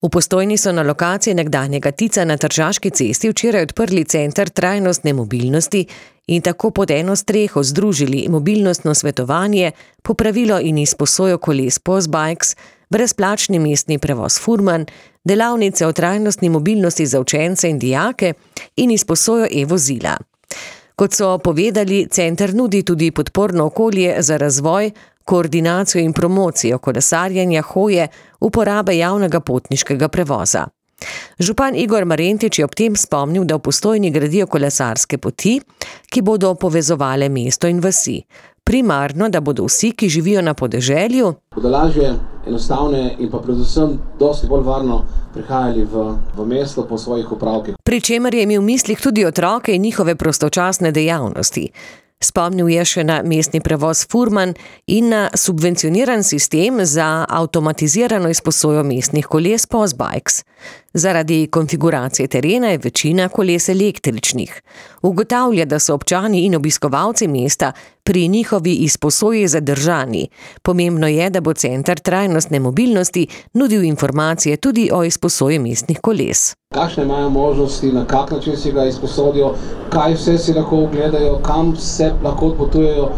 V Postojni so na lokaciji nekdanjega Tica na Tržaški cesti včeraj odprli center trajnostne mobilnosti in tako pod eno streho združili mobilnostno svetovanje, popravilo in izposojo koles Postbikes, brezplačni mestni prevoz Furman, delavnice o trajnostni mobilnosti za učence in dijake in izposojo e-vozila. Kot so povedali, center nudi tudi podporno okolje za razvoj, koordinacijo in promocijo kolesarjenja, hoje, uporabe javnega potniškega prevoza. Župan Igor Marentič je ob tem spomnil, da v Postojni gradijo kolesarske poti, ki bodo povezovale mesto in vasi. Primarno, da bodo vsi, ki živijo na podeželju, bodo lažje, enostavne in pa predvsem dosti bolj varno prihajali v mesto po svojih opravkih. Pri čemer je imel v mislih tudi otroke in njihove prostočasne dejavnosti. Spomnil je še na mestni prevoz Furman in na subvencioniran sistem za avtomatizirano izposojo mestnih koles Postbikes. Zaradi konfiguracije terena je večina koles električnih. Ugotavlja, da so občani in obiskovalci mesta pri njihovi izposoji zadržani. Pomembno je, da bo center trajnostne mobilnosti nudil informacije tudi o izposoji mestnih koles. Kakšne imajo možnosti, na kak način si ga izposodijo, kaj vse si lahko ogledajo, kam se lahko odpotujejo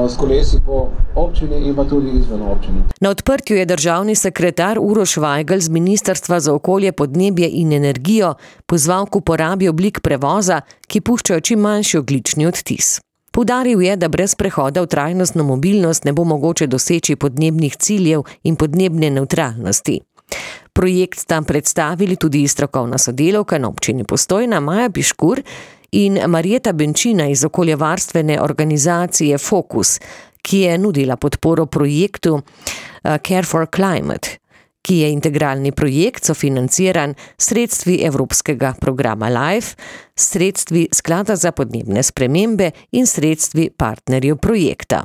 s kolesi po občini in pa tudi izven občine. Na odprtju je državni sekretar Uroš Vajgl z Ministrstva za okolje, podnebje in energijo pozval k uporabi oblik prevoza, ki puščajo čim manjši ogljični odtis. Poudaril je, da brez prehoda v trajnostno mobilnost ne bo mogoče doseči podnebnih ciljev in podnebne nevtralnosti. Projekt sta predstavili tudi strokovna sodelavka na občini Postojna Maja Piškur in Marjeta Benčina iz okoljevarstvene organizacije Fokus, ki je nudila podporo projektu Care for Climate, ki je integralni projekt sofinanciran sredstvi Evropskega programa LIFE, sredstvi Sklada za podnebne spremembe in sredstvi partnerjev projekta.